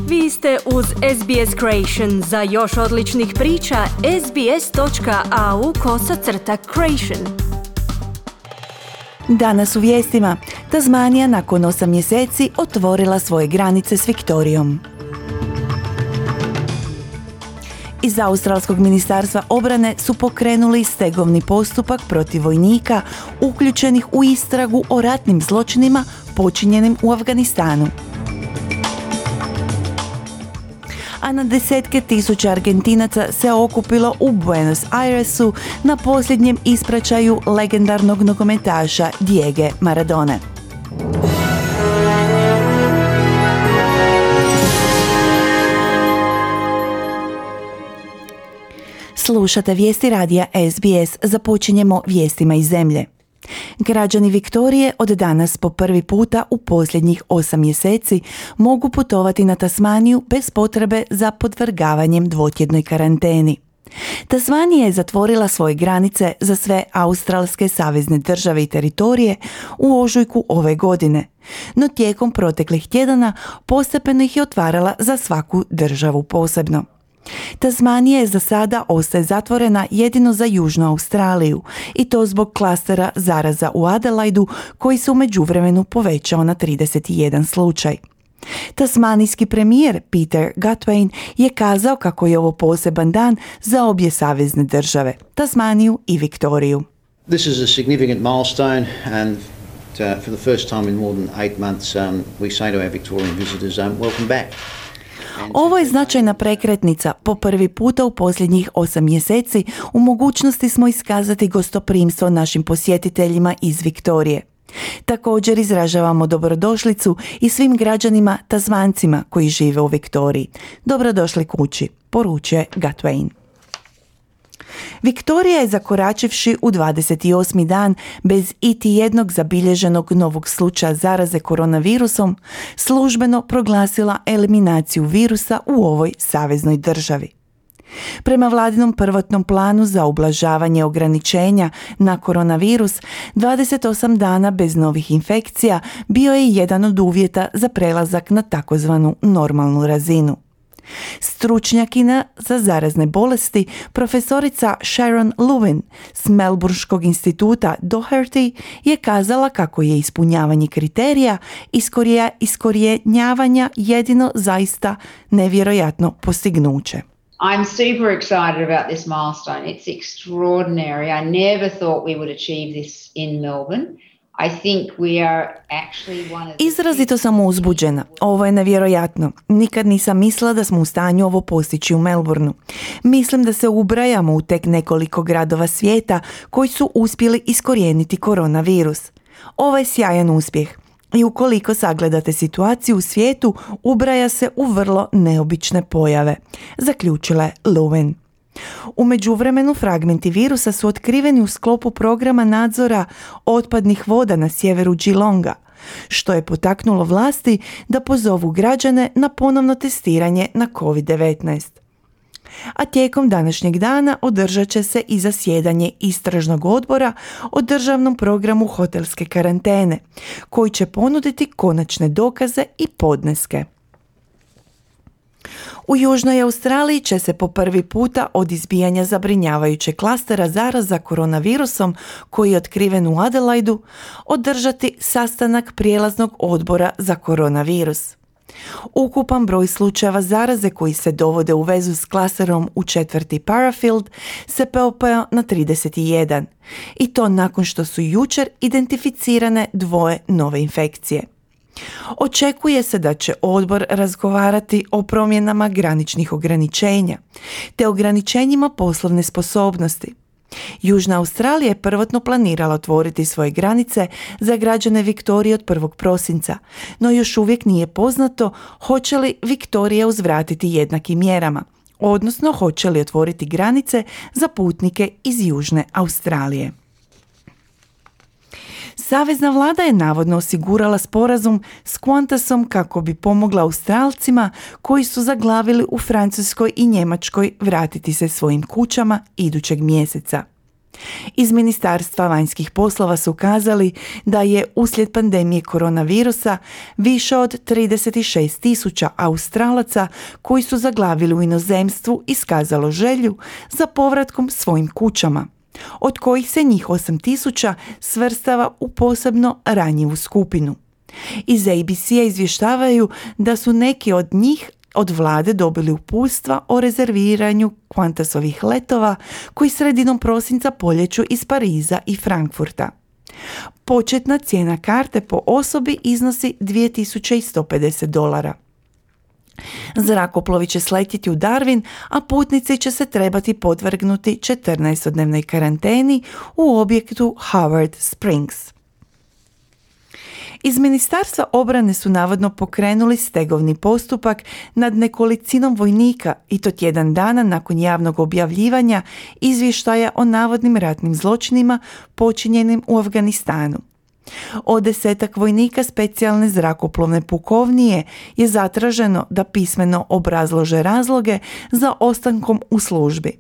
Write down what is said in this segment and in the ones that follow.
Vi ste uz SBS Creation. Za još odličnih priča, sbs.au/creation. Danas u vijestima. Tasmanija nakon 8 mjeseci otvorila svoje granice s Viktorijom. Iz Australskog ministarstva obrane su pokrenuli stegovni postupak protiv vojnika uključenih u istragu o ratnim zločinima počinjenim u Afganistanu. A na desetke tisuća Argentinaca se okupilo u Buenos Airesu na posljednjem ispraćaju legendarnog nogometaša Diege Maradone. Slušate vijesti radija SBS, započinjemo vijestima iz zemlje. Građani Viktorije od danas po prvi puta u posljednjih 8 mjeseci mogu putovati na Tasmaniju bez potrebe za podvrgavanjem dvotjednoj karanteni. Tasmanija je zatvorila svoje granice za sve australske savezne države i teritorije u ožujku ove godine, no tijekom proteklih tjedana postepeno ih je otvarala za svaku državu posebno. Tasmanija je za sada ostaje zatvorena jedino za Južnu Australiju i to zbog klastera zaraza u Adelaidu koji se u međuvremenu povećao na 31 slučaj. Tasmanijski premijer Peter Gutwein je kazao kako je ovo poseban dan za obje savezne države, Tasmaniju i Viktoriju. This is a significant milestone and for the first time in more than 8 months we say to our Victorian visitors welcome back. Ovo je značajna prekretnica. Po prvi puta u posljednjih 8 mjeseci u mogućnosti smo iskazati gostoprimstvo našim posjetiteljima iz Viktorije. Također izražavamo dobrodošlicu i svim građanima Tasmancima koji žive u Viktoriji. Dobrodošli kući, poručuje Gutwein. Viktorija je zakoračivši u 28. dan bez iti jednog zabilježenog novog slučaja zaraze koronavirusom, službeno proglasila eliminaciju virusa u ovoj saveznoj državi. Prema vladinom prvotnom planu za ublažavanje ograničenja na koronavirus, 28 dana bez novih infekcija bio je jedan od uvjeta za prelazak na takozvanu normalnu razinu. Stručnjakinja za zarazne bolesti, profesorica Sharon Lewin s Melbourneškog instituta Doherty je kazala kako je ispunjavanje kriterija iskorjenjavanja jedino zaista nevjerojatno postignuće. I'm super excited about this milestone. It's extraordinary. I never thought we would achieve this in Melbourne. Izrazito sam uzbuđena. Ovo je nevjerojatno. Nikad nisam mislila da smo u stanju ovo postići u Melbourneu. Mislim da se ubrajamo u tek nekoliko gradova svijeta koji su uspjeli iskorijeniti koronavirus. Ovo je sjajan uspjeh. I ukoliko sagledate situaciju u svijetu, ubraja se u vrlo neobične pojave, zaključila je Lewin. U međuvremenu fragmenti virusa su otkriveni u sklopu programa nadzora otpadnih voda na sjeveru Geelonga, što je potaknulo vlasti da pozovu građane na ponovno testiranje na COVID-19. A tijekom današnjeg dana održat će se i zasjedanje istražnog odbora o državnom programu hotelske karantene, koji će ponuditi konačne dokaze i podneske. U Južnoj Australiji će se po prvi puta od izbijanja zabrinjavajućeg klastera zaraza koronavirusom koji je otkriven u Adelaidu održati sastanak prijelaznog odbora za koronavirus. Ukupan broj slučajeva zaraze koji se dovode u vezu s klasterom u četvrti Parafield se popeo na 31 i to nakon što su jučer identificirane 2 nove infekcije. Očekuje se da će odbor razgovarati o promjenama graničnih ograničenja te ograničenjima poslovne sposobnosti. Južna Australija je prvotno planirala otvoriti svoje granice za građane Viktorije od 1. prosinca, no još uvijek nije poznato hoće li Viktorija uzvratiti jednakim mjerama, odnosno hoće li otvoriti granice za putnike iz Južne Australije. Savezna vlada je navodno osigurala sporazum s Qantasom kako bi pomogla Australcima koji su zaglavili u Francuskoj i Njemačkoj vratiti se svojim kućama idućeg mjeseca. Iz Ministarstva vanjskih poslova su kazali da je uslijed pandemije koronavirusa više od 36.000 Australaca koji su zaglavili u inozemstvu iskazalo želju za povratkom svojim kućama, od kojih se njih 8.000 svrstava u posebno ranjivu skupinu. Iz ABC-a izvještavaju da su neki od njih od vlade dobili uputstva o rezerviranju Qantasovih letova koji sredinom prosinca poljeću iz Pariza i Frankfurta. Početna cijena karte po osobi iznosi $2.150. Zrakoplovi će sletjeti u Darwin, a putnici će se trebati podvrgnuti 14-dnevnoj karanteni u objektu Howard Springs. Iz Ministarstva obrane su navodno pokrenuli stegovni postupak nad nekolicinom vojnika i to tjedan dana nakon javnog objavljivanja izvještaja o navodnim ratnim zločinima počinjenim u Afganistanu. Od 10 vojnika specijalne zrakoplovne pukovnije je zatraženo da pismeno obrazlože razloge za ostankom u službi,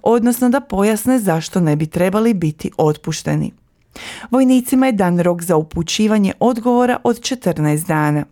odnosno da pojasne zašto ne bi trebali biti otpušteni. Vojnicima je dan rok za upućivanje odgovora od 14 dana.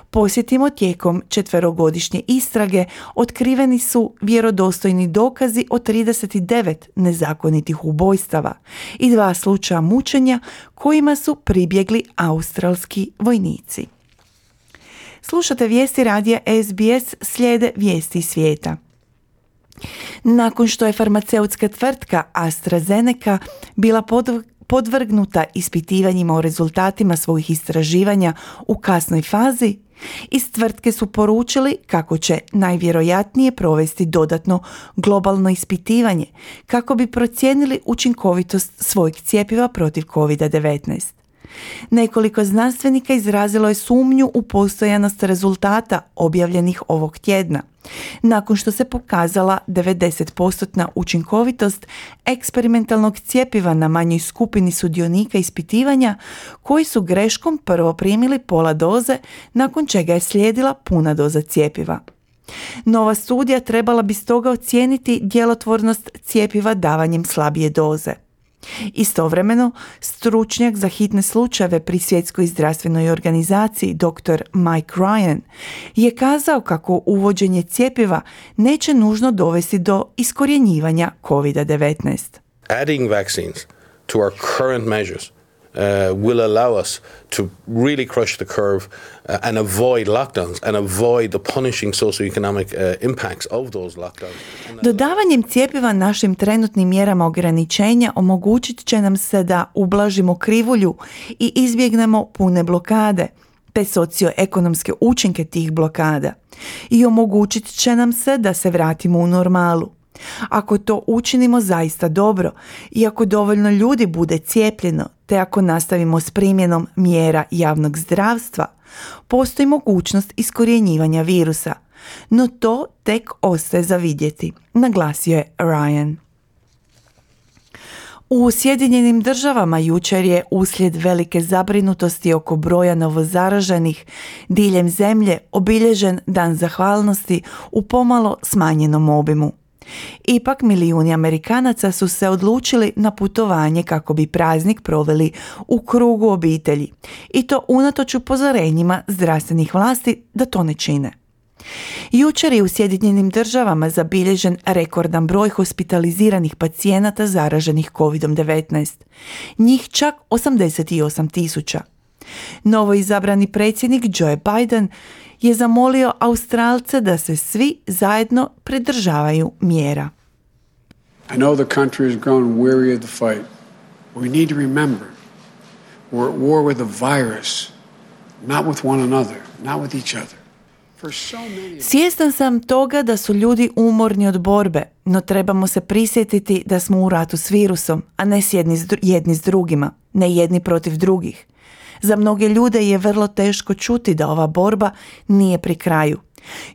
Posjetimo, tijekom 4-godišnje istrage otkriveni su vjerodostojni dokazi o 39 nezakonitih ubojstava i 2 slučaja mučenja kojima su pribjegli australski vojnici. Slušate vijesti radija SBS, slijede vijesti iz svijeta. Nakon što je farmaceutska tvrtka AstraZeneca bila podvrgnuta ispitivanjima o rezultatima svojih istraživanja u kasnoj fazi, iz tvrtke su poručili kako će najvjerojatnije provesti dodatno globalno ispitivanje kako bi procijenili učinkovitost svojeg cjepiva protiv COVID-19. Nekoliko znanstvenika izrazilo je sumnju u postojanost rezultata objavljenih ovog tjedna, nakon što se pokazala 90% učinkovitost eksperimentalnog cjepiva na manjoj skupini sudionika ispitivanja koji su greškom prvo primili pola doze, nakon čega je slijedila puna doza cjepiva. Nova studija trebala bi stoga ocijeniti djelotvornost cjepiva davanjem slabije doze. Istovremeno, stručnjak za hitne slučajeve pri Svjetskoj zdravstvenoj organizaciji dr. Mike Ryan je kazao kako uvođenje cjepiva neće nužno dovesti do iskorjenjivanja COVID-19. Adding vaccines to our current measures will allow us to really crush the curve and avoid lockdowns and avoid the punishing socioeconomic impacts of those lockdowns. Dodavanjem cjepiva našim trenutnim mjerama ograničenja omogućit će nam se da ublažimo krivulju i izbjegnemo pune blokade, te socioekonomske učinke tih blokada, i omogućit će nam se da se vratimo u normalu. Ako to učinimo zaista dobro i ako dovoljno ljudi bude cijepljeno, te ako nastavimo s primjenom mjera javnog zdravstva, postoji mogućnost iskorjenjivanja virusa. No to tek ostaje za vidjeti, naglasio je Ryan. U Sjedinjenim Državama jučer je uslijed velike zabrinutosti oko broja novozaraženih diljem zemlje obilježen Dan zahvalnosti u pomalo smanjenom obimu. Ipak milijuni Amerikanaca su se odlučili na putovanje kako bi praznik proveli u krugu obitelji, i to unatoč upozorenjima zdravstvenih vlasti da to ne čine. Jučer je u Sjedinjenim Državama zabilježen rekordan broj hospitaliziranih pacijenata zaraženih COVID-19, njih čak 88.000. Novo izabrani predsjednik Joe Biden je zamolio Australce da se svi zajedno pridržavaju mjera. I know the country has grown weary of the fight. We need to remember we're at war with a virus, not with one another, not with each other. Svjestan sam toga da su ljudi umorni od borbe, no trebamo se prisjetiti da smo u ratu s virusom, a ne jedni s drugima, ne jedni protiv drugih. Za mnoge ljude je vrlo teško čuti da ova borba nije pri kraju.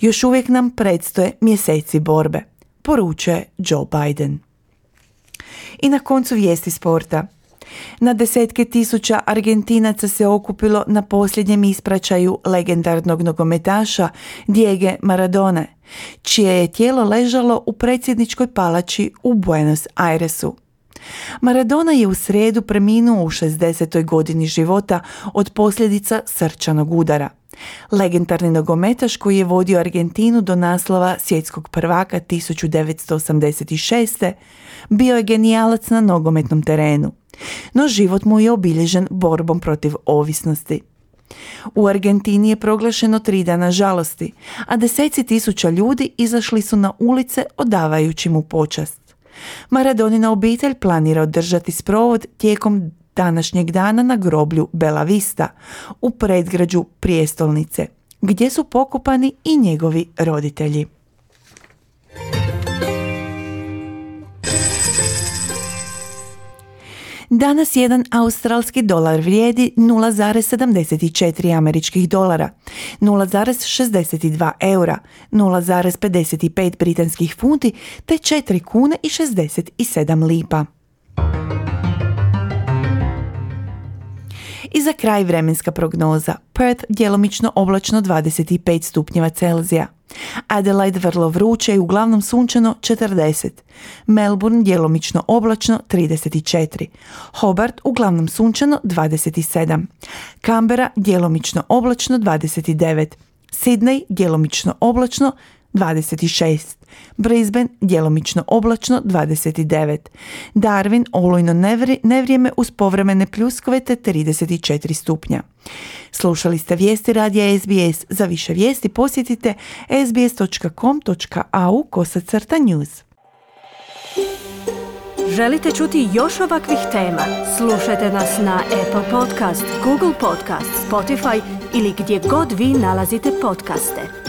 Još uvijek nam predstoje mjeseci borbe, poručuje Joe Biden. I na koncu vijesti sporta. Na desetke tisuća Argentinaca se okupilo na posljednjem ispraćaju legendarnog nogometaša Diego Maradone, čije je tijelo ležalo u predsjedničkoj palači u Buenos Airesu. Maradona je u srijedu preminuo u 60. godini života od posljedica srčanog udara. Legendarni nogometaš koji je vodio Argentinu do naslova svjetskog prvaka 1986. bio je genijalac na nogometnom terenu, no život mu je obilježen borbom protiv ovisnosti. U Argentini je proglašeno 3 dana žalosti, a deseci tisuća ljudi izašli su na ulice odavajući mu počast. Maradonina obitelj planira održati sprovod tijekom današnjeg dana na groblju Bella Vista u predgrađu prijestolnice, gdje su pokopani i njegovi roditelji. Danas jedan australski dolar vrijedi 0,74 američkih dolara, 0,62 eura, 0,55 britanskih funti te 4 kune i 67 lipa. I za kraj vremenska prognoza. Perth djelomično oblačno 25 stupnjeva Celzija. Adelaide vrlo vruće i uglavnom sunčano 40. Melbourne djelomično oblačno 34. Hobart uglavnom sunčano 27. Canberra djelomično oblačno 29. Sydney djelomično oblačno 26. Brisbane djelomično oblačno 29. Darwin olujno nevrijeme uz povremene pljuskove te 34 stupnja. Slušali ste vijesti radija SBS. Za više vijesti posjetite sbs.com.au/news. Želite čuti još ovakvih tema? Slušajte nas na Apple Podcast, Google Podcast, Spotify ili gdje god vi nalazite podcaste.